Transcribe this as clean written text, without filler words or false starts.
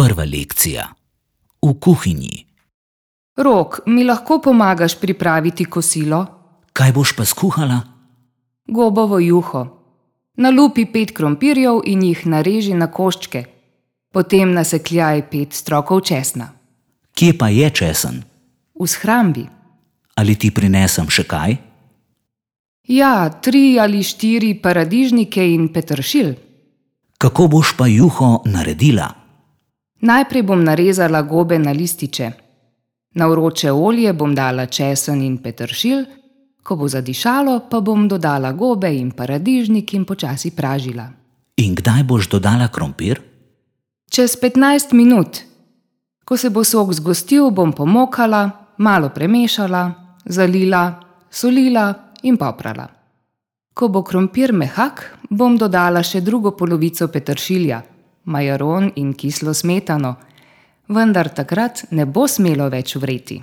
Prva lekcija. V kuhinji. Rok, mi lahko pomagaš pripraviti kosilo? Kaj boš pa skuhala? Gobovo juho. Nalupi 5 krompirjev in jih nareži na koščke. Potem nasekljaj 5 strokov česna. Kje pa je česen? V shrambi. Ali ti prinesem še kaj? Ja, 3 ali 4 paradižnike in peteršilj. Kako boš pa juho naredila? Najprej bom narezala gobe na lističe. Na vroče olje bom dala česen in peteršilj, ko bo zadišalo, pa bom dodala gobe in paradižnik in počasi pražila. In kdaj boš dodala krompir? Čez 15 minut. Ko se bo sok zgostil, bom pomokala, malo premešala, zalila, solila in poprala. Ko bo krompir mehak, bom dodala še drugo polovico peteršilja, majaron in kislo smetano, vendar takrat ne bo smelo več vreti.